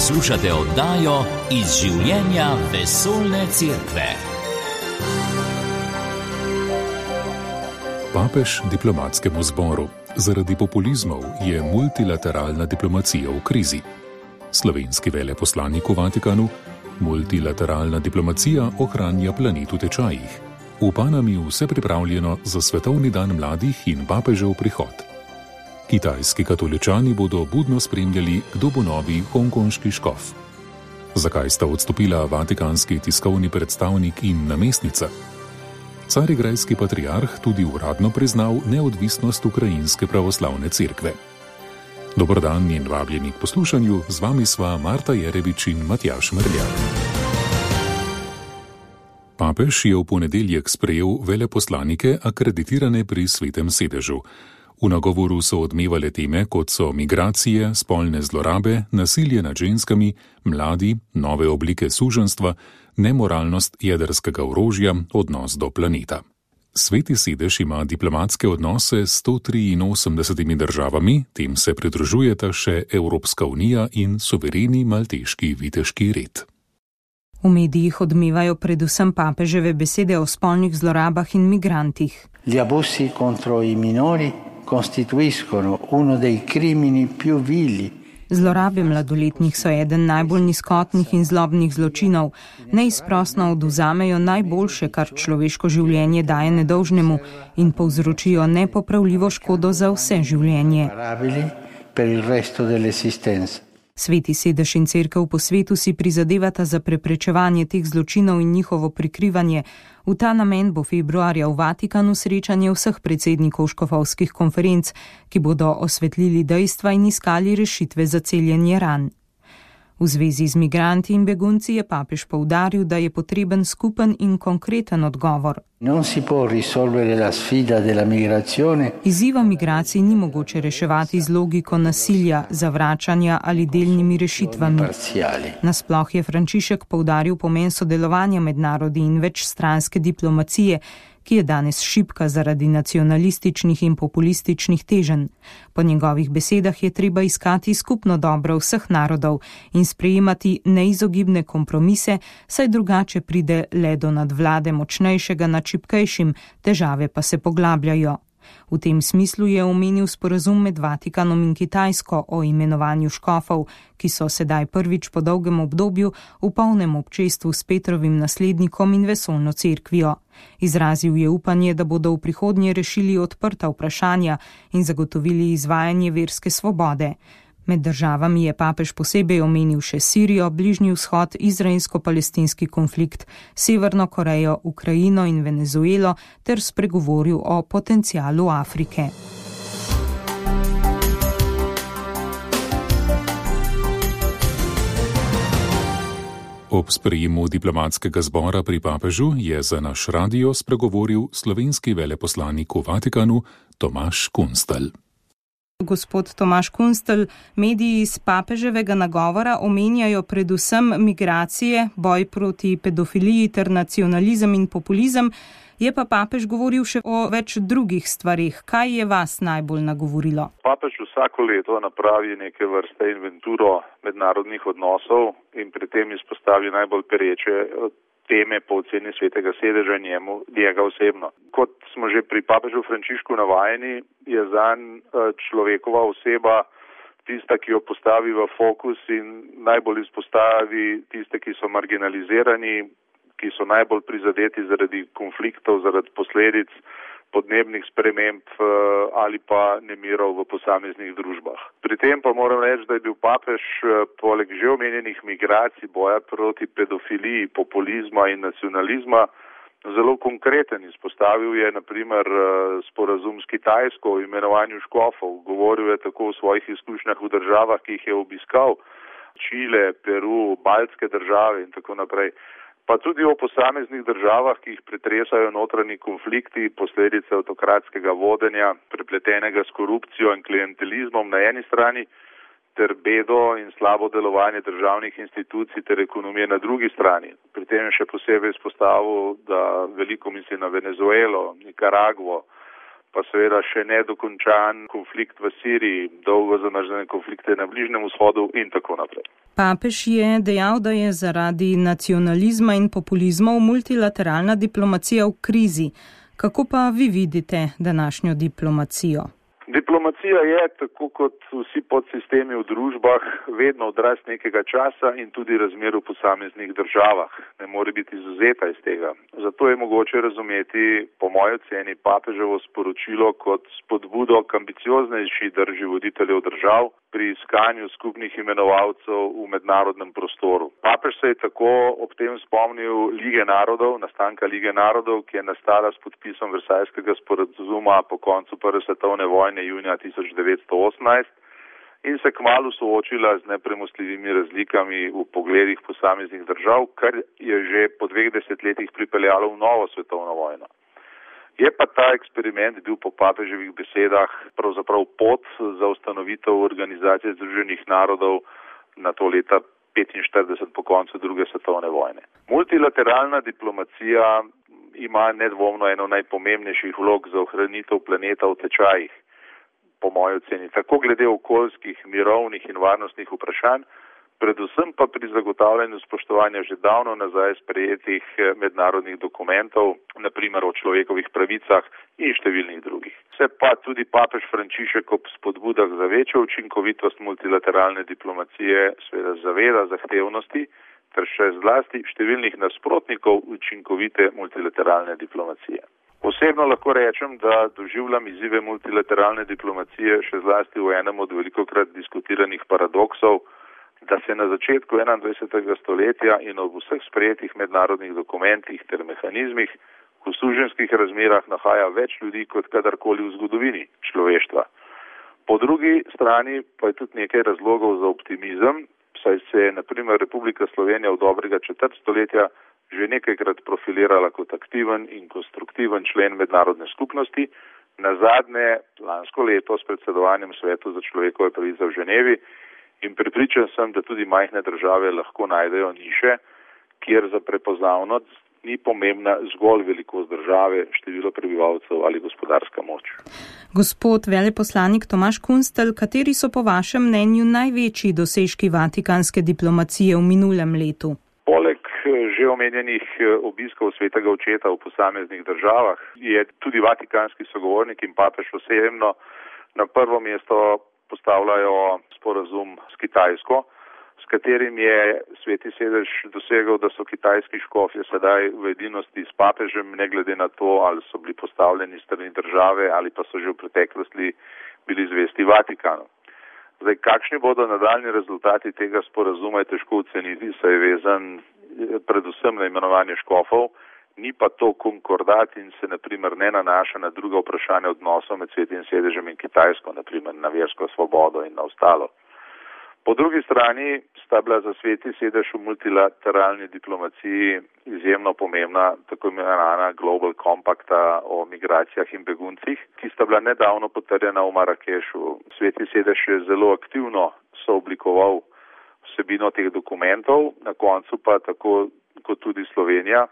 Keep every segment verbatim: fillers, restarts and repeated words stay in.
Poslušate oddajo Iz življenja vesoljne cerkve. Papež diplomatskemu zboru. Zaradi populizmov je multilateralna diplomacija v krizi. Slovenski veleposlanik v Vatikanu. Multilateralna diplomacija ohranja planet v tečajih. V Panami vse pripravljeno za svetovni dan mladih in papežev prihod. Kitajski katoličani bodo budno spremljali, kdo bo novi hongkonški škof. Zakaj sta odstopila vatikanski tiskovni predstavnik in namestnica? Carigrajski patriarh tudi uradno priznal neodvisnost ukrajinske pravoslavne cerkve. Dober dan in vabljeni k poslušanju, z vami sva Marta Jerevič in Matjaž Merljak. Papež je v ponedeljek sprejel veleposlanike akreditirane pri Svetem sedežu. V nagovoru so odmevale teme, kot so migracije, spolne zlorabe, nasilje nad ženskami, mladi, nove oblike suženjstva, nemoralnost jedrskega orožja, odnos do planeta. Sveti sedež ima diplomatske odnose s sto triinosemdesetimi državami, tem se pridružujeta še Evropska unija in suvereni malteški viteški red. V medijih odmevajo predvsem papeževe besede o spolnih zlorabah in migrantih. Gli abusi contro i minori costituiscono uno dei crimini più vili. Zlorabe mladoletnih so eden najbolj nizkotnih in zlobnih zločinov. Neizprosno oduzamejo najboljše, kar človeško življenje daje nedolžnemu, in povzročijo nepopravljivo škodo za vse življenje. Sveti sedež in cerkev po svetu si prizadevata za preprečevanje teh zločinov in njihovo prikrivanje. V ta namen bo februarja v Vatikanu srečanje vseh predsednikov škofovskih konferenc, ki bodo osvetlili dejstva in iskali rešitve za celjenje ran. V zvezi z migranti in begunci je papež poudaril, da je potreben skupen in konkreten odgovor. Non si può risolvere la sfida della migrazione. Izziva migracij ni mogoče reševati z logiko nasilja, zavračanja ali delnimi rešitvami. Nasploh je Frančišek poudaril pomen sodelovanja med narodi in večstranske diplomacije, ki je danes šibka zaradi nacionalističnih in populističnih teženj. Po njegovih besedah je treba iskati skupno dobro vseh narodov in sprejemati neizogibne kompromise, saj drugače pride le do nadvlade močnejšega nad šibkejšim, težave pa se poglabljajo. V tem smislu je omenil sporazum med Vatikanom in Kitajsko o imenovanju škofov, ki so sedaj prvič po dolgem obdobju v polnem občestvu s Petrovim naslednikom in vesoljno cerkvijo. Izrazil je upanje, da bodo v prihodnje rešili odprta vprašanja in zagotovili izvajanje verske svobode. Med državami je papež posebej omenil še Sirijo, Bližnji vzhod, izraelsko-palestinski konflikt, Severno Korejo, Ukrajino in Venezuelo ter spregovoril o potencialu Afrike. Ob sprejemu diplomatskega zbora pri papežu je za naš radio spregovoril slovenski veleposlanik v Vatikanu Tomaž Kunstelj. Gospod Tomaž Kunstelj, mediji iz papeževega nagovora omenjajo predvsem migracije, boj proti pedofiliji ter nacionalizem in populizem, je pa papež govoril še o več drugih stvarih. Kaj je vas najbolj nagovorilo? Papež vsako leto napravi neke vrste inventuro mednarodnih odnosov in pri tem izpostavi najbolj pereče teme po oceni Svetega sedeža njemu, njega osebno. Kot smo že pri papežu Frančišku navajeni, je zanj človekova oseba tista, ki jo postavi v fokus in najbolj izpostavi tiste, ki so marginalizirani, ki so najbolj prizadeti zaradi konfliktov, zaradi posledic podnebnih sprememb ali pa nemirov v posameznih družbah. Pri tem pa moram reči, da je bil papež poleg že omenjenih migracij, boja proti pedofiliji, populizma in nacionalizma zelo konkreten. Izpostavil je na primer sporazum s Kitajsko o imenovanju škofov. Govoril je tako o svojih izkušnjah v državah, ki jih je obiskal, Čile, Peru, baltske države in tako naprej. Pa tudi o posameznih državah, ki jih pretresajo notranji konflikti, posledice avtokratskega vodenja, prepletenega s korupcijo in klientelizmom na eni strani, ter bedo in slabo delovanje državnih institucij ter ekonomije na drugi strani. Pri tem je še posebej izpostavil, da veliko misli na Venezuelo, Nikaragvo, pa seveda še nedokončan konflikt v Siriji, dolgo zamrznjene konflikte na Bližnjem vzhodu in tako naprej. Papež je dejal, da je zaradi nacionalizma in populizmov multilateralna diplomacija v krizi. Kako pa vi vidite današnjo diplomacijo? Diplomacija je, tako kot vsi podsistemi v družbah, vedno odraz nekega časa in tudi razmer v posameznih državah. Ne more biti izvzeta iz tega. Zato je mogoče razumeti, po moji oceni, papeževo sporočilo kot spodbudo k ambicioznejši drži voditeljev držav pri iskanju skupnih imenovalcev v mednarodnem prostoru. Papež se je tako ob tem spomnil Lige narodov, nastanka Lige narodov, ki je nastala s podpisom Versajskega sporazuma po koncu prve svetovne vojne junija tisoč devetsto osemnajst in se kmalu soočila z nepremostljivimi razlikami v pogledih posameznih držav, kar je že po dveh desetletjih pripeljalo v novo svetovno vojno. Je pa ta eksperiment bil po papeževih besedah pravzaprav pot za ustanovitev Organizacije združenih narodov na to leta petinštirideset po koncu druge svetovne vojne. Multilateralna diplomacija ima nedvomno eno najpomembnejših vlog za ohranitev planeta v tečajih, po moji oceni, tako glede okoljskih, mirovnih in varnostnih vprašanj, predvsem pa pri zagotavljanju spoštovanja že davno nazaj sprejetih mednarodnih dokumentov, na primer o človekovih pravicah in številnih drugih. Se pa tudi papež Frančišek ob spodbudah za večjo učinkovitost multilateralne diplomacije seveda zaveda zahtevnosti ter še zlasti številnih nasprotnikov učinkovite multilateralne diplomacije. Osebno lahko rečem, da doživljam izzive multilateralne diplomacije še zlasti v enem od velikokrat diskutiranih paradoksov, da se na začetku enaindvajsetega stoletja in ob vseh sprejetih mednarodnih dokumentih ter mehanizmih v suženjskih razmerah nahaja več ljudi kot kadarkoli v zgodovini človeštva. Po drugi strani pa je tudi nekaj razlogov za optimizem, saj se je na primer Republika Slovenija v dobrega četrt stoletja že nekajkrat profilirala kot aktiven in konstruktiven člen mednarodne skupnosti, nazadnje lansko leto s predsedovanjem Svetu za človekove pravice v Ženevi, in prepričan sem, da tudi majhne države lahko najdejo niše, kjer za prepoznavnost ni pomembna zgolj velikost države, število prebivalcev ali gospodarska moč. Gospod veleposlanik Tomaž Kunstelj, kateri so po vašem mnenju največji dosežki vatikanske diplomacije v minulem letu? Poleg že omenjenih obiskov svetega očeta v posameznih državah je tudi vatikanski sogovornik in papež osebno na prvo mesto postavljajo sporazum s Kitajsko, s katerim je Sveti sedež dosegel, da so kitajski škofje sedaj v edinosti s papežem, ne glede na to, ali so bili postavljeni strani države ali pa so že v preteklosti bili zvesti Vatikanu. Zdaj, kakšni bodo nadaljni rezultati tega sporazuma, je težko oceniti, saj je vezan predvsem na imenovanje škofov, ni pa to konkordat in se na primer ne nanaša na druga vprašanja odnosov med Svetim sedežem in Kitajsko, na primer na versko svobodo in na ostalo. Po drugi strani sta bila za Sveti sedež v multilateralni diplomaciji izjemno pomembna tako imenovana Global Compacta o migracijah in beguncih, ki sta bila nedavno potrjena v Marakešu. Sveti sedež je zelo aktivno sooblikoval vsebino teh dokumentov, na koncu pa tako kot tudi Slovenija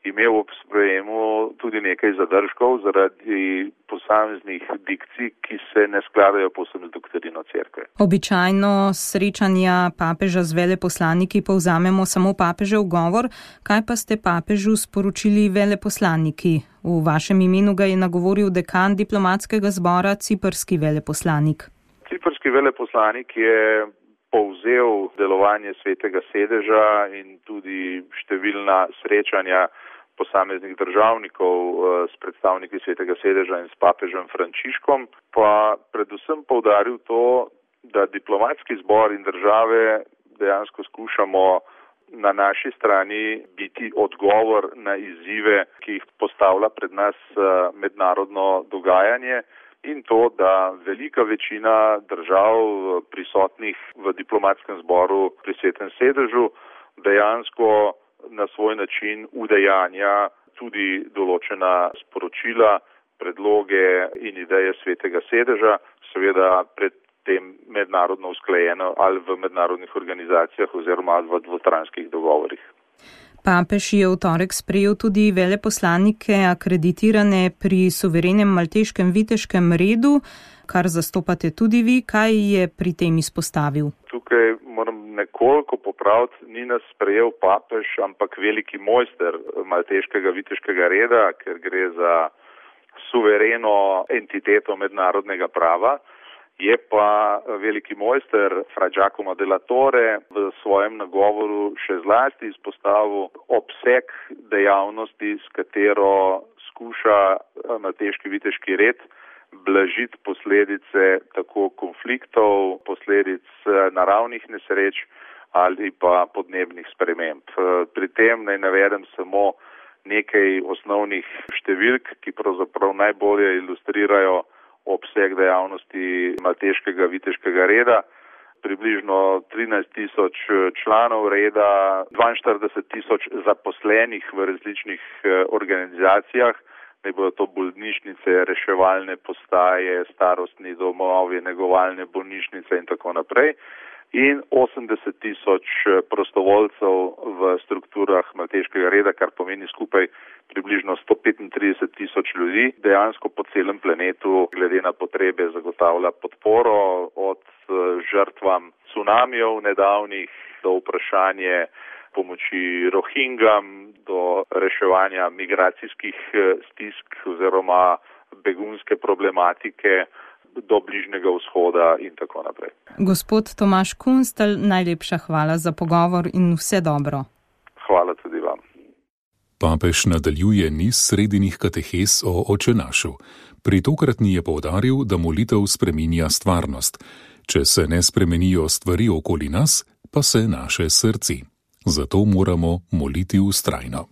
imel ob sprejemu tudi nekaj zadržkov zaradi posameznih dikcij, ki se ne skladajo povsem z doktrino cerkve. Običajno srečanja papeža z veleposlaniki povzamemo samo papežev govor, kaj pa ste papežu sporočili veleposlaniki? V vašem imenu ga je nagovoril dekan diplomatskega zbora, ciprski veleposlanik. Ciprski veleposlanik je povzel delovanje svetega sedeža in tudi številna srečanja posameznih državnikov s predstavniki svetega sedeža in s papežem Frančiškom, pa predvsem poudaril to, da diplomatski zbor in države dejansko skušamo na naši strani biti odgovor na izzive, ki jih postavlja pred nas mednarodno dogajanje, in to, da velika večina držav prisotnih v diplomatskem zboru pri svetem sedežu dejansko na svoj način udejanja tudi določena sporočila, predloge in ideje svetega sedeža, seveda pred tem mednarodno usklajeno ali v mednarodnih organizacijah oziroma v dvostranskih dogovorih. Papež je v torek sprejel tudi veleposlanike akreditirane pri suverenem malteškem viteškem redu, kar zastopate tudi vi. Kaj je pri tem izpostavil? Tukaj moram nekoliko popraviti, ni nas sprejel papež, ampak veliki mojster malteškega viteškega reda, ker gre za suvereno entiteto mednarodnega prava. Je pa veliki mojster Fra Giacomo della Torre v svojem nagovoru še zlasti izpostavil obseg dejavnosti, s katero skuša malteški viteški red blažiti posledice tako konfliktov, posledic naravnih nesreč ali pa podnebnih sprememb. Pri tem naj navedem samo nekaj osnovnih številk, ki pravzaprav najbolje ilustrirajo obseg dejavnosti malteškega viteškega reda. Približno trinajst tisoč članov reda, dvainštirideset tisoč zaposlenih v različnih organizacijah, naj bodo to bolnišnice, reševalne postaje, starostni domovi, negovalne bolnišnice in tako naprej. In osemdeset tisoč prostovoljcev v strukturah malteškega reda, kar pomeni skupaj približno sto petintrideset tisoč ljudi, dejansko po celem planetu glede na potrebe zagotavlja podporo od žrtvam cunamijev nedavnih do vprašanje pomoči Rohingam, do reševanja migracijskih stisk oziroma begunske problematike do Bližnjega vzhoda in tako naprej. Gospod Tomaž Kunstelj, najlepša hvala za pogovor in vse dobro. Hvala tudi vam. Papež nadaljuje niz sredinih katehes o očenašu. Pri tokratni je poudaril, da molitev spreminja stvarnost. Če se ne spremenijo stvari okoli nas, pa se naše srci. Zato moramo moliti vztrajno.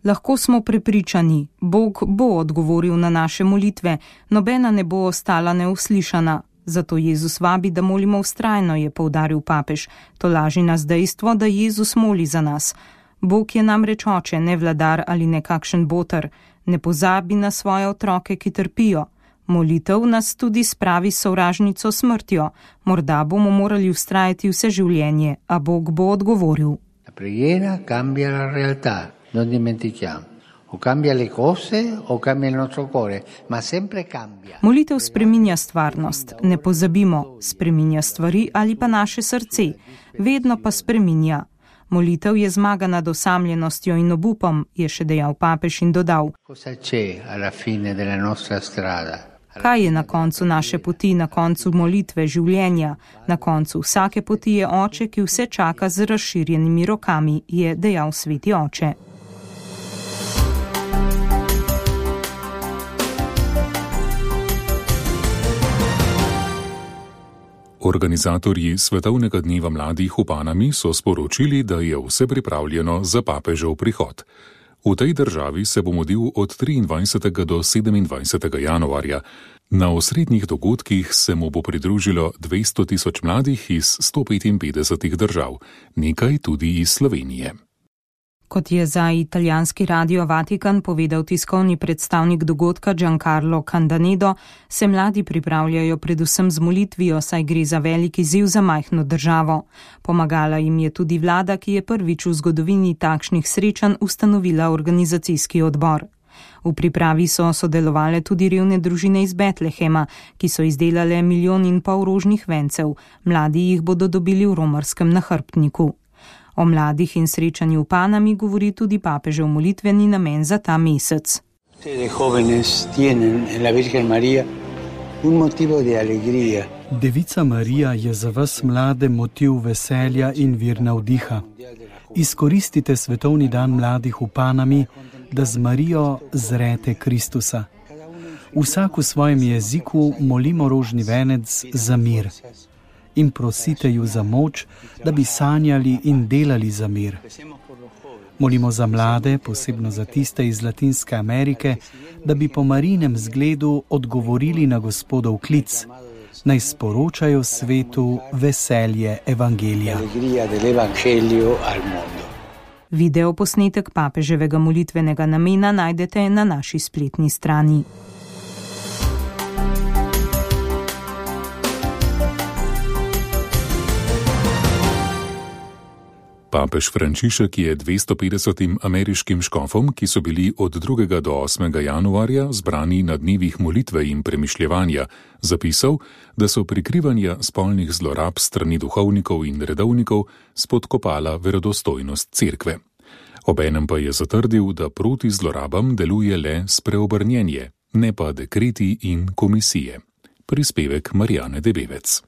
Lahko smo prepričani, Bog bo odgovoril na naše molitve, nobena ne bo ostala neuslišana. Zato Jezus vabi, da molimo vztrajno, je poudaril papež. To laži nas dejstvo, da Jezus moli za nas. Bog je namreč oče, ne vladar ali nekakšen boter. Ne pozabi na svoje otroke, ki trpijo. Molitev nas tudi spravi sovražnico smrtjo. Morda bomo morali vztrajati vse življenje, a Bog bo odgovoril. La preghiera cambia la realtà, non dimentichiamo. O cambia le cose o cambia il nostro cuore, ma sempre cambia. Molitev spreminja stvarnost, ne pozabimo, spreminja stvari ali pa naše srce, vedno pa spreminja. Molitev je zmaga nad osamljenostjo in obupom, je še dejal papež in dodal. Cosa c'è alla fine della nostra strada? Kaj je na koncu naše poti, na koncu molitve, življenja? Na koncu vsake poti je oče, ki vse čaka z razširjenimi rokami, je dejal sveti oče. Organizatorji Svetovnega dneva mladih v Panami so sporočili, da je vse pripravljeno za papežev prihod. V tej državi se bo mudil od triindvajsetega do sedemindvajsetega januarja. Na osrednjih dogodkih se mu bo pridružilo dvesto tisoč mladih iz sto petinpetdesetih držav, nekaj tudi iz Slovenije. Kot je za italijanski radio Vatikan povedal tiskovni predstavnik dogodka Giancarlo Candanedo, se mladi pripravljajo predvsem z molitvijo, saj gre za velik izziv za majhno državo. Pomagala jim je tudi vlada, ki je prvič v zgodovini takšnih srečanj ustanovila organizacijski odbor. V pripravi so sodelovale tudi revne družine iz Betlehema, ki so izdelale milijon in pol rožnih vencev. Mladi jih bodo dobili v romarskem nahrbtniku. O mladih in srečanju v Panami govori tudi papežev molitveni namen za ta mesec. Devica Marija je za vas mlade motiv veselja in vir navdiha. Izkoristite svetovni dan mladih v Panami, da z Marijo zrete Kristusa. Vsak v svojem jeziku molimo rožni venec za mir. In prosite ju za moč, da bi sanjali in delali za mir. Molimo za mlade, posebno za tiste iz Latinske Amerike, da bi po Marinem zgledu odgovorili na Gospodov klic, naj sporočajo svetu veselje evangelija. Video posnetek papeževega molitvenega namena najdete na naši spletni strani. Papež Frančišek je dvesto petdesetim ameriškim škofom, ki so bili od drugega do osmega januarja zbrani na dnevih molitve in premišljevanja, zapisal, da so prikrivanja spolnih zlorab strani duhovnikov in redovnikov spodkopala verodostojnost cerkve. Obenem pa je zatrdil, da proti zlorabam deluje le spreobrnjenje, ne pa dekreti in komisije. Prispevek Marijane Debevec.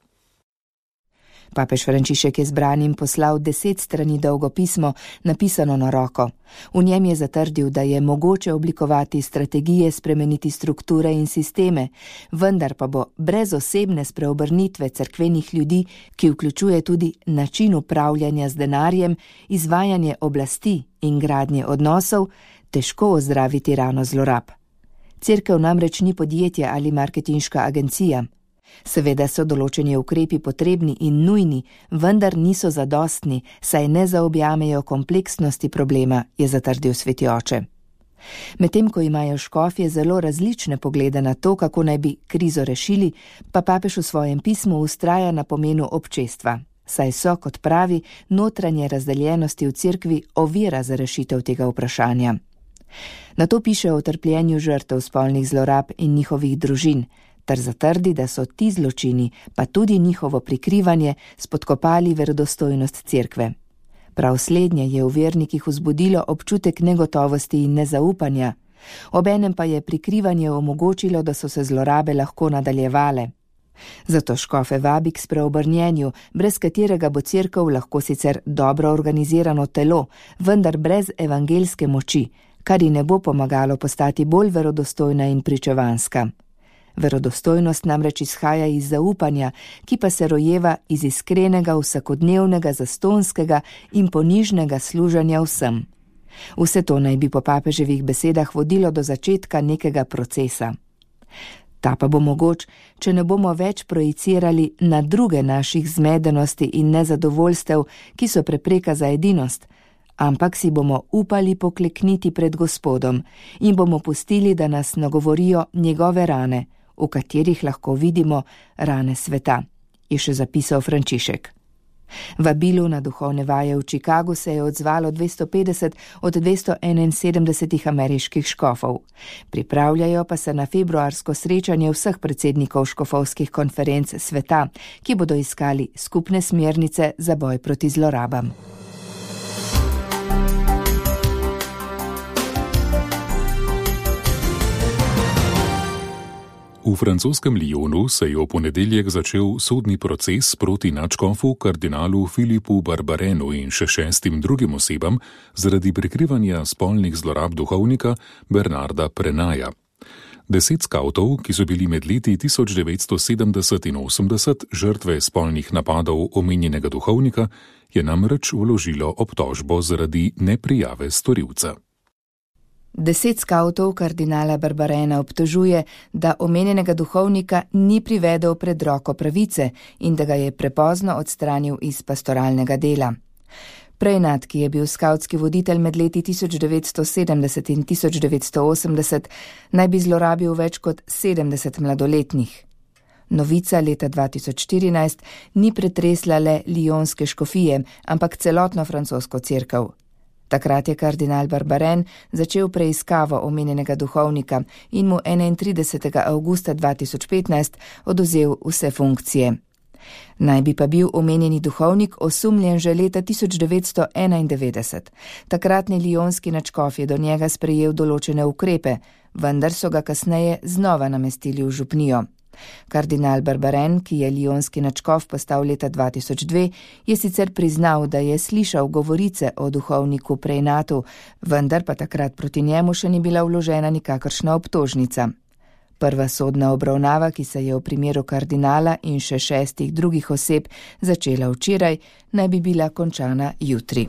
Papež Frančišek je zbranim poslal deset strani dolgo pismo, napisano na roko. V njem je zatrdil, da je mogoče oblikovati strategije, spremeniti strukture in sisteme, vendar pa bo brez osebne spreobrnitve cerkvenih ljudi, ki vključuje tudi način upravljanja z denarjem, izvajanje oblasti in gradnje odnosov, težko ozdraviti rano zlorab. Cerkev namreč ni podjetje ali marketinška agencija. Seveda so določeni ukrepi potrebni in nujni, vendar niso zadostni, saj ne zaobjamejo kompleksnosti problema, je zatrdil sveti oče. Medtem ko imajo škofje zelo različne poglede na to, kako naj bi krizo rešili, pa papež v svojem pismu vztraja na pomenu občestva, saj so, kot pravi, notranje razdeljenosti v cerkvi ovira za rešitev tega vprašanja. Nato piše o trpljenju žrtev spolnih zlorab in njihovih družin, ter zatrdi, da so ti zločini, pa tudi njihovo prikrivanje, spodkopali verodostojnost cerkve. Prav slednje je v vernikih vzbudilo občutek negotovosti in nezaupanja, obenem pa je prikrivanje omogočilo, da so se zlorabe lahko nadaljevale. Zato škofe vabi k spreobrnjenju, brez katerega bo cerkev lahko sicer dobro organizirano telo, vendar brez evangeljske moči, kar ji ne bo pomagalo postati bolj verodostojna in pričevanska. Verodostojnost namreč izhaja iz zaupanja, ki pa se rojeva iz iskrenega, vsakodnevnega, zastonskega in ponižnega služenja vsem. Vse to naj bi po papeževih besedah vodilo do začetka nekega procesa. Ta pa bo mogoč, če ne bomo več projicirali na druge naših zmedenosti in nezadovoljstev, ki so prepreka za edinost, ampak si bomo upali poklekniti pred Gospodom in bomo pustili, da nas nagovorijo njegove rane, v katerih lahko vidimo rane sveta, je še zapisal Frančišek. Vabilu na duhovne vaje v Chicagu se je odzvalo dvesto petdeset od dvesto enainsedemdeset ameriških škofov. Pripravljajo pa se na februarsko srečanje vseh predsednikov škofovskih konferenc sveta, ki bodo iskali skupne smernice za boj proti zlorabam. V francoskem Lyonu se je v ponedeljek začel sodni proces proti nadškofu kardinalu Filipu Barbarenu in še šestim drugim osebam zaradi prikrivanja spolnih zlorab duhovnika Bernarda Prenaja. Deset skavtov, ki so bili med leti tisoč devetsto sedemdeset in osemdeset žrtve spolnih napadov omenjenega duhovnika, je namreč vložilo obtožbo zaradi neprijave storilca. Deset skavtov kardinala Barbarena obtožuje, da omenjenega duhovnika ni privedel pred roko pravice in da ga je prepozno odstranil iz pastoralnega dela. Prejnat, ki je bil skavtski voditelj med leti tisoč devetsto sedemdeset in tisoč devetsto osemdeset, naj bi zlorabil več kot sedemdeset mladoletnih. Novica leta dva tisoč štirinajst ni pretresla le lionske škofije, ampak celotno francosko cerkev. Takrat je kardinal Barbaren začel preiskavo omenjenega duhovnika in mu enaintridesetega avgusta dva tisoč petnajst odvzel vse funkcije. Naj bi pa bil omenjeni duhovnik osumljen že leta tisoč devetsto enaindevetdeset. Takratni lionski nadškof je do njega sprejel določene ukrepe, vendar so ga kasneje znova namestili v župnijo. Kardinal Barbaren, ki je lionski nadškof postal leta dva tisoč dve, je sicer priznal, da je slišal govorice o duhovniku Prejnatu, vendar pa takrat proti njemu še ni bila vložena nikakršna obtožnica. Prva sodna obravnava, ki se je v primeru kardinala in še šestih drugih oseb začela včeraj, naj bi bila končana jutri.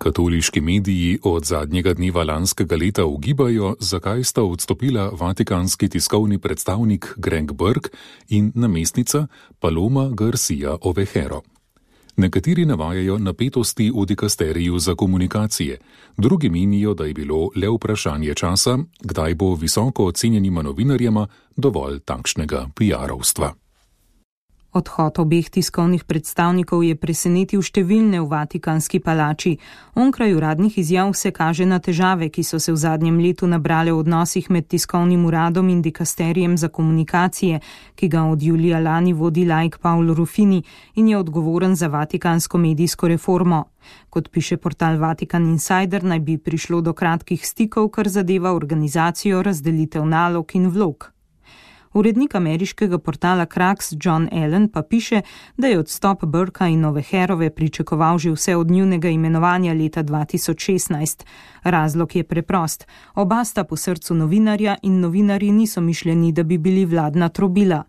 Katoliški mediji od zadnjega dneva lanskega leta ugibajo, zakaj sta odstopila vatikanski tiskovni predstavnik Greg Burke in namestnica Paloma Garcia Ovejero. Nekateri navajajo napetosti v dikasteriju za komunikacije, drugi menijo, da je bilo le vprašanje časa, kdaj bo visoko ocenjenima novinarjema dovolj takšnega piarovstva. Odhod obeh tiskovnih predstavnikov je presenetil številne v Vatikanski palači. Onkraj uradnih izjav se kaže na težave, ki so se v zadnjem letu nabrale v odnosih med tiskovnim uradom in dikasterijem za komunikacije, ki ga od julija lani vodi laik Paolo Ruffini in je odgovoren za vatikansko medijsko reformo. Kot piše portal Vatikan Insider, naj bi prišlo do kratkih stikov, kar zadeva organizacijo, razdelitev nalog in vlog. Urednik ameriškega portala Kraks John Allen pa piše, da je odstop Burka in Noveherove pričakoval že vse od njunega imenovanja leta dva tisoč šestnajst. Razlog je preprost. Oba sta po srcu novinarja in novinarji niso mišljeni, da bi bili vladna trobila.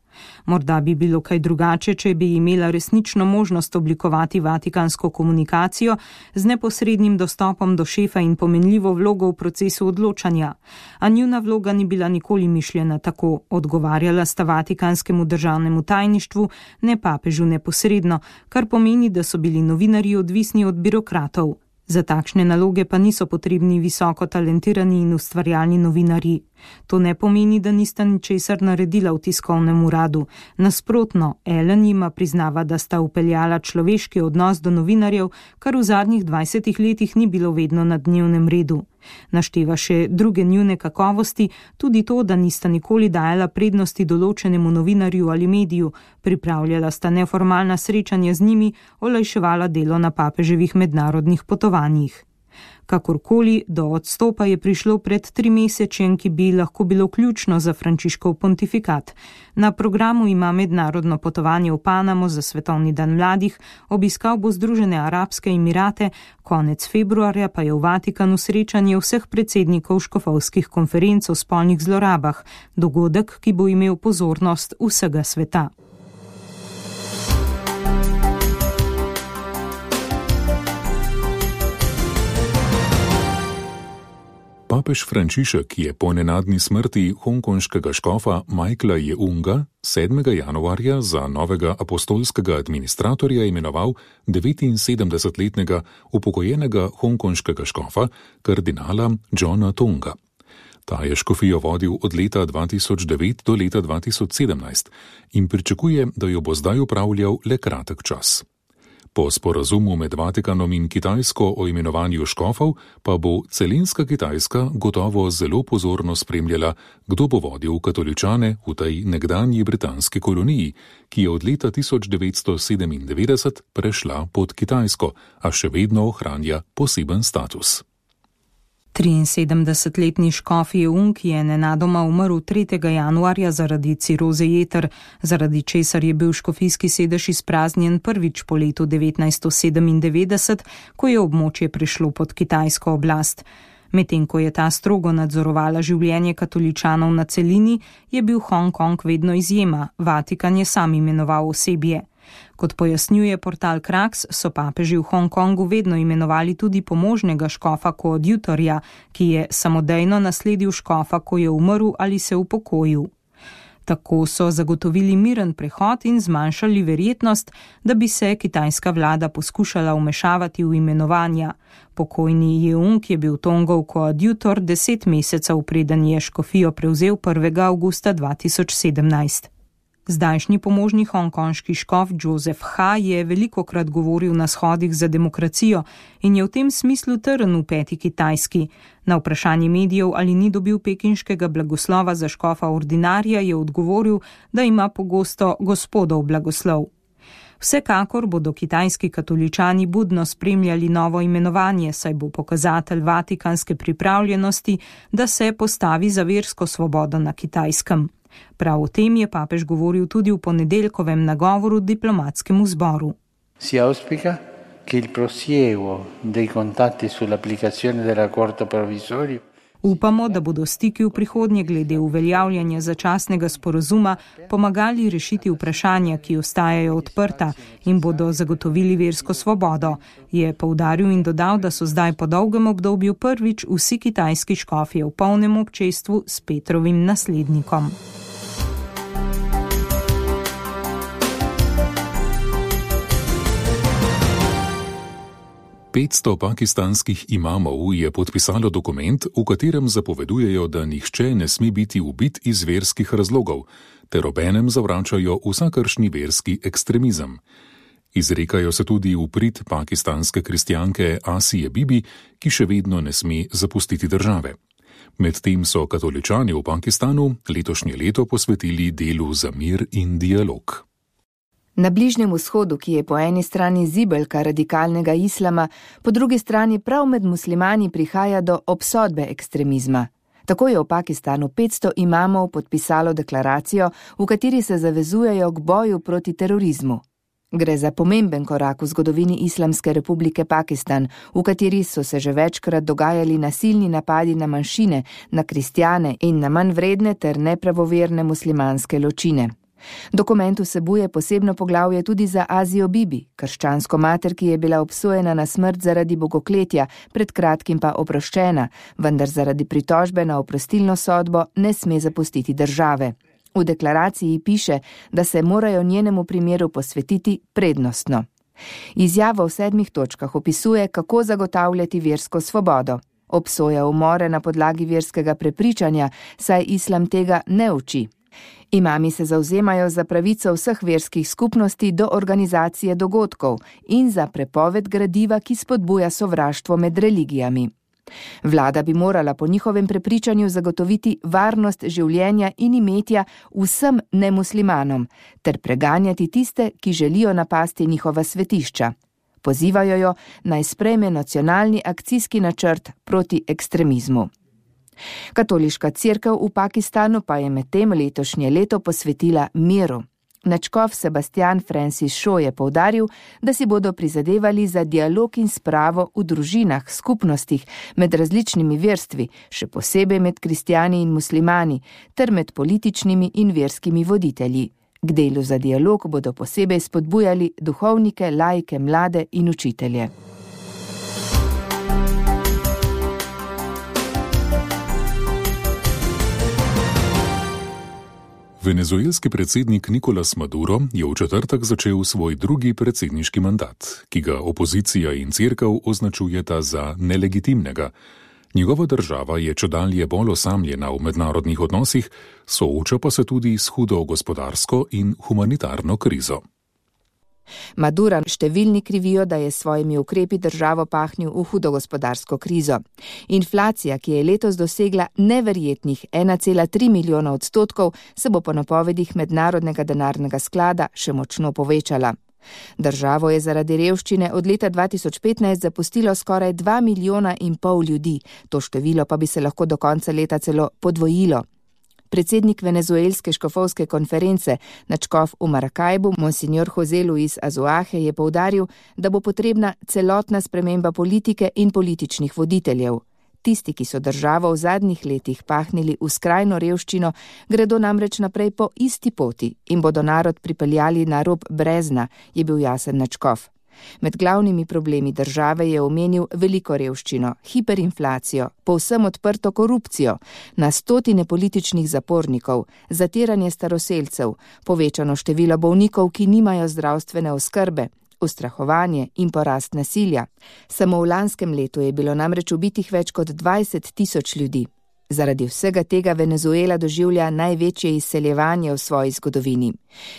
Morda bi bilo kaj drugače, če bi imela resnično možnost oblikovati vatikansko komunikacijo z neposrednim dostopom do šefa in pomenljivo vlogo v procesu odločanja. A njuna vloga ni bila nikoli mišljena tako, odgovarjala sta vatikanskemu državnemu tajništvu, ne papežu neposredno, kar pomeni, da so bili novinarji odvisni od birokratov. Za takšne naloge pa niso potrebni visoko talentirani in ustvarjalni novinarji. To ne pomeni, da nista ničesar naredila v tiskovnem uradu. Nasprotno, Allen jima priznava, da sta upeljala človeški odnos do novinarjev, kar v zadnjih dvajsetih letih ni bilo vedno na dnevnem redu. Našteva še druge njune kakovosti, tudi to, da nista nikoli dajala prednosti določenemu novinarju ali mediju, pripravljala sta neformalna srečanja z njimi, olajševala delo na papeževih mednarodnih potovanjih. Kakorkoli, do odstopa je prišlo pred trimesečjem, ki bi lahko bilo ključno za Frančiškov pontifikat. Na programu ima mednarodno potovanje v Panamo za svetovni dan mladih, obiskal bo Združene arabske emirate, konec februarja pa je v Vatikanu srečanje vseh predsednikov škofovskih konferenc o spolnih zlorabah, dogodek, ki bo imel pozornost vsega sveta. Papež Frančišek je po nenadni smrti hongkonškega škofa Michaela Jeunga sedmega januarja za novega apostolskega administratorja imenoval devetinsedemdesetletnega upokojenega hongkonškega škofa kardinala Johna Tonga. Ta je škofijo vodil od leta dva tisoč devet do leta dva tisoč sedemnajst in pričakuje, da jo bo zdaj upravljal le kratek čas. Po sporazumu med Vatikanom in Kitajsko o imenovanju škofov pa bo celinska Kitajska gotovo zelo pozorno spremljala, kdo bo vodil katoličane v tej nekdanji britanski koloniji, ki je od leta tisoč devetsto sedemindevetdeset prešla pod Kitajsko, a še vedno ohranja poseben status. triinsedemdesetletni škof Jeung je nenadoma umrl tretjega januarja zaradi ciroze jeter, zaradi česar je bil škofijski sedež izpraznjen prvič po letu devetnajststo sedemindevetdeset, ko je območje prešlo pod kitajsko oblast. Medtem ko je ta strogo nadzorovala življenje katoličanov na celini, je bil Hongkong vedno izjema, Vatikan je sam imenoval osebje. Kot pojasnjuje portal Kraks, so papeži v Hongkongu vedno imenovali tudi pomožnega škofa koadjutorja, ki je samodejno nasledil škofa, ko je umrl ali se upokojil. Tako so zagotovili miren prehod in zmanjšali verjetnost, da bi se kitajska vlada poskušala vmešavati v imenovanja. Pokojni Jeung je bil Tongov koadjutor deset mesecev, preden je škofijo prevzel prvega avgusta dva tisoč sedemnajst. Zdajšnji pomožni hongkonški škof Joseph Ha je velikokrat govoril na shodih za demokracijo in je v tem smislu trn v peti Kitajski. Na vprašanje medijev, ali ni dobil pekinškega blagoslova za škofa ordinarja, je odgovoril, da ima pogosto gospodov blagoslov. Vsekakor bodo kitajski katoličani budno spremljali novo imenovanje, saj bo pokazatelj vatikanske pripravljenosti, da se postavi za versko svobodo na Kitajskem. Prav o tem je papež govoril tudi v ponedeljkovem nagovoru diplomatskemu zboru. Si auspica che il prosieguo dei contatti sull'applicazione dell'accordo provvisorio. Upamo, da bodo stiki v prihodnje glede uveljavljanja začasnega sporazuma pomagali rešiti vprašanja, ki ostajajo odprta in bodo zagotovili versko svobodo, je poudaril in dodal, da so zdaj po dolgem obdobju prvič vsi kitajski škofje v polnem občestvu s Petrovim naslednikom. petsto pakistanskih imamov je podpisalo dokument, v katerem zapovedujejo, da nihče ne sme biti ubit iz verskih razlogov, ter obenem zavračajo vsakršni verski ekstremizem. Izrekajo se tudi v prid pakistanske kristjanke Asije Bibi, ki še vedno ne sme zapustiti države. Medtem so katoličani v Pakistanu letošnje leto posvetili delu za mir in dialog. Na Bližnjem vzhodu, ki je po eni strani zibelka radikalnega islama, po drugi strani prav med muslimani prihaja do obsodbe ekstremizma. Tako je v Pakistanu petsto imamov podpisalo deklaracijo, v kateri se zavezujejo k boju proti terorizmu. Gre za pomemben korak v zgodovini Islamske republike Pakistan, v kateri so se že večkrat dogajali nasilni napadi na manjšine, na kristjane in na manj vredne ter nepravoverne muslimanske ločine. Dokument vsebuje posebno poglavje tudi za Asijo Bibi, krščansko mater, ki je bila obsojena na smrt zaradi bogokletja, pred kratkim pa oproščena, vendar zaradi pritožbe na oprostilno sodbo ne sme zapustiti države. V deklaraciji piše, da se morajo njenemu primeru posvetiti prednostno. Izjava v sedmih točkah opisuje, kako zagotavljati versko svobodo. Obsoja umore na podlagi verskega prepričanja, saj islam tega ne uči. Imami se zavzemajo za pravico vseh verskih skupnosti do organizacije dogodkov in za prepoved gradiva, ki spodbuja sovraštvo med religijami. Vlada bi morala po njihovem prepričanju zagotoviti varnost življenja in imetja vsem nemuslimanom, ter preganjati tiste, ki želijo napasti njihova svetišča. Pozivajo jo, naj sprejme nacionalni akcijski načrt proti ekstremizmu. Katoliška cerkev v Pakistanu pa je medtem letošnje leto posvetila miru. Nadškof Sebastian Francis Shaw je poudaril, da si bodo prizadevali za dialog in spravo v družinah, skupnostih, med različnimi verstvi, še posebej med kristjani in muslimani, ter med političnimi in verskimi voditelji. K delu za dialog bodo posebej spodbujali duhovnike, laike, mlade in učitelje. Venezuelski predsednik Nicolás Maduro je v četrtek začel svoj drugi predsedniški mandat, ki ga opozicija in cerkev označujeta za nelegitimnega. Njegova država je čedalje bolj osamljena v mednarodnih odnosih, sooča pa se tudi s hudo gospodarsko in humanitarno krizo. Madura številni krivijo, da je s svojimi ukrepi državo pahnil v hudo gospodarsko krizo. Inflacija, ki je letos dosegla neverjetnih ena cela tri milijona odstotkov, se bo po napovedih Mednarodnega denarnega sklada še močno povečala. Državo je zaradi revščine od leta dva tisoč petnajst zapustilo skoraj dva milijona in pol ljudi, to število pa bi se lahko do konca leta celo podvojilo. Predsednik venezuelske škofovske konference, nadškof v Maracaibu, monsignor José Luis Azuaje, je poudaril, da bo potrebna celotna sprememba politike in političnih voditeljev. Tisti, ki so državo v zadnjih letih pahnili v skrajno revščino, gredo namreč naprej po isti poti in bodo narod pripeljali na rob brezna, je bil jasen nadškof. Med glavnimi problemi države je omenil veliko revščino, hiperinflacijo, povsem odprto korupcijo, na stotine političnih zapornikov, zatiranje staroselcev, povečano število bolnikov, ki nimajo zdravstvene oskrbe, ustrahovanje in porast nasilja. Samo v lanskem letu je bilo namreč ubitih več kot dvajset tisoč ljudi. Zaradi vsega tega Venezuela doživlja največje izseljevanje v svoji zgodovini.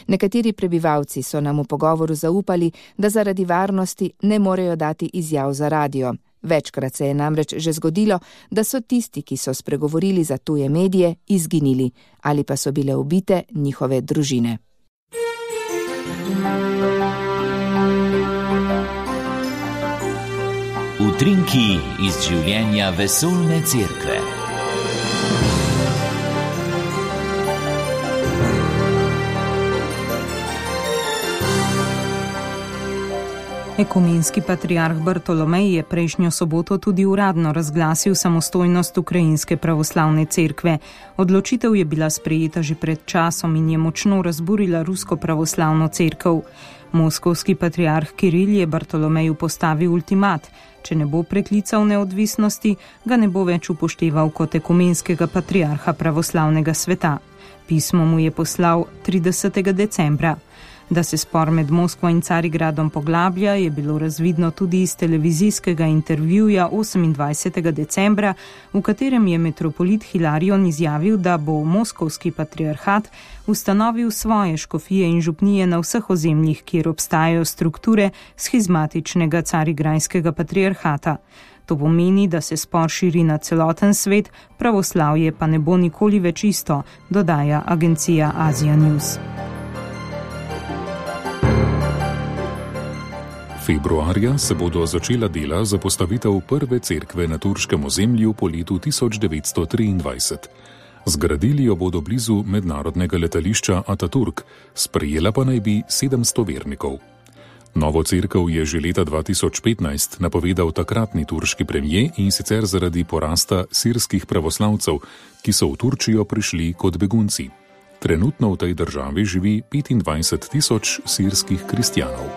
Nekateri prebivalci so nam v pogovoru zaupali, da zaradi varnosti ne morejo dati izjav za radio. Večkrat se je namreč že zgodilo, da so tisti, ki so spregovorili za tuje medije, izginili ali pa so bile ubite njihove družine. Utrinki iz življenja vesoljne cerkve. Ekumenski patriarh Bartolomej je prejšnjo soboto tudi uradno razglasil samostojnost Ukrajinske pravoslavne cerkve. Odločitev je bila sprejeta že pred časom in je močno razburila rusko pravoslavno cerkev. Moskovski patriarh Kiril je Bartolomeju postavil ultimat. Če ne bo preklical neodvisnosti, ga ne bo več upošteval kot ekumenskega patriarha pravoslavnega sveta. Pismo mu je poslal tridesetega decembra. Da se spor med Moskvo in Carigradom poglablja, je bilo razvidno tudi iz televizijskega intervjuja osemindvajsetega decembra, v katerem je metropolit Hilarion izjavil, da bo moskovski patriarhat ustanovil svoje škofije in župnije na vseh ozemljih, kjer obstajajo strukture schizmatičnega carigrajskega patriarhata. To pomeni, da se spor širi na celoten svet, pravoslavje pa ne bo nikoli več isto, dodaja agencija Asia News. Februarja se bodo začela dela za postavitev prve cerkve na turškem ozemlju po letu tisoč devetsto triindvajset. Zgradili jo bodo blizu mednarodnega letališča Ataturk, sprejela pa naj bi sedemsto vernikov. Novo cerkev je že leta dva tisoč petnajst napovedal takratni turški premijer, in sicer zaradi porasta sirskih pravoslavcev, ki so v Turčijo prišli kot begunci. Trenutno v tej državi živi petindvajset tisoč sirskih kristjanov.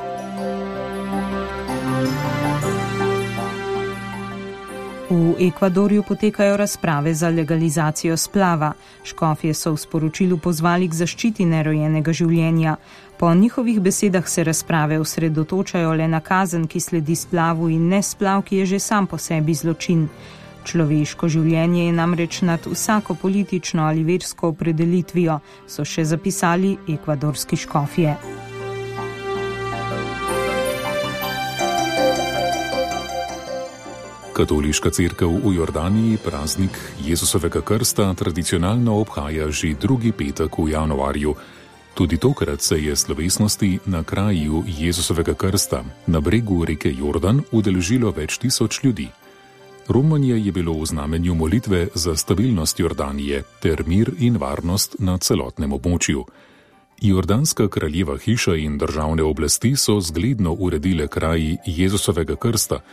V Ekvadorju potekajo razprave za legalizacijo splava. Škofje so v sporočilu pozvali k zaščiti nerojenega življenja. Po njihovih besedah se razprave osredotočajo le na kazen, ki sledi splavu, in ne splav, ki je že sam po sebi zločin. Človeško življenje je namreč nad vsako politično ali versko opredelitvijo, so še zapisali ekvadorski škofje. Katoliška cerkev v Jordaniji praznik Jezusovega krsta tradicionalno obhaja že drugi petek v januarju. Tudi tokrat se je slovesnosti na kraju Jezusovega krsta na bregu reke Jordan udeležilo več tisoč ljudi. Romanje je bilo v znamenju molitve za stabilnost Jordanije ter mir in varnost na celotnem območju. Jordanska kraljeva hiša in državne oblasti so zgledno uredile kraj Jezusovega krsta.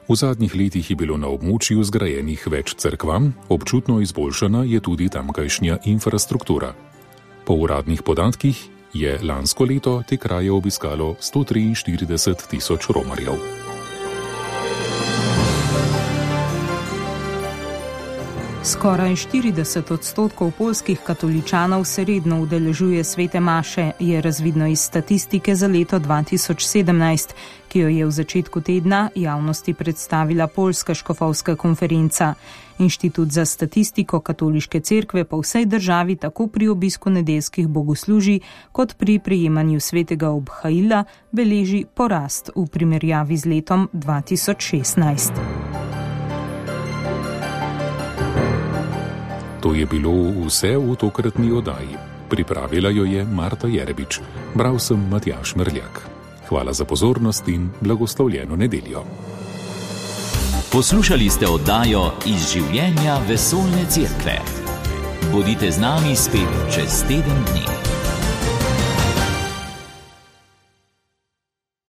V zadnjih letih je bilo na območju zgrajenih več cerkvam, občutno izboljšana je tudi tamkajšnja infrastruktura. Po uradnih podatkih je lansko leto te kraje obiskalo sto triinštirideset tisoč romarjev. Skoraj štirideset odstotkov poljskih katoličanov se redno udeležuje svete maše, je razvidno iz statistike za leto dva tisoč sedemnajst, ki jo je v začetku tedna javnosti predstavila Poljska škofovska konferenca. Inštitut za statistiko katoliške cerkve po vsej državi tako pri obisku nedeljskih bogoslužij kot pri prejemanju svetega obhaila beleži porast v primerjavi z letom dva tisoč šestnajst. To je bilo vse v tokratni oddaji. Pripravila jo je Marta Jerebič. Bral sem Matjaž Merljak. Hvala za pozornost in blagoslovljeno nedeljo. Poslušali ste oddajo Iz življenja vesoljne cerkve. Bodite z nami spet čez teden dni.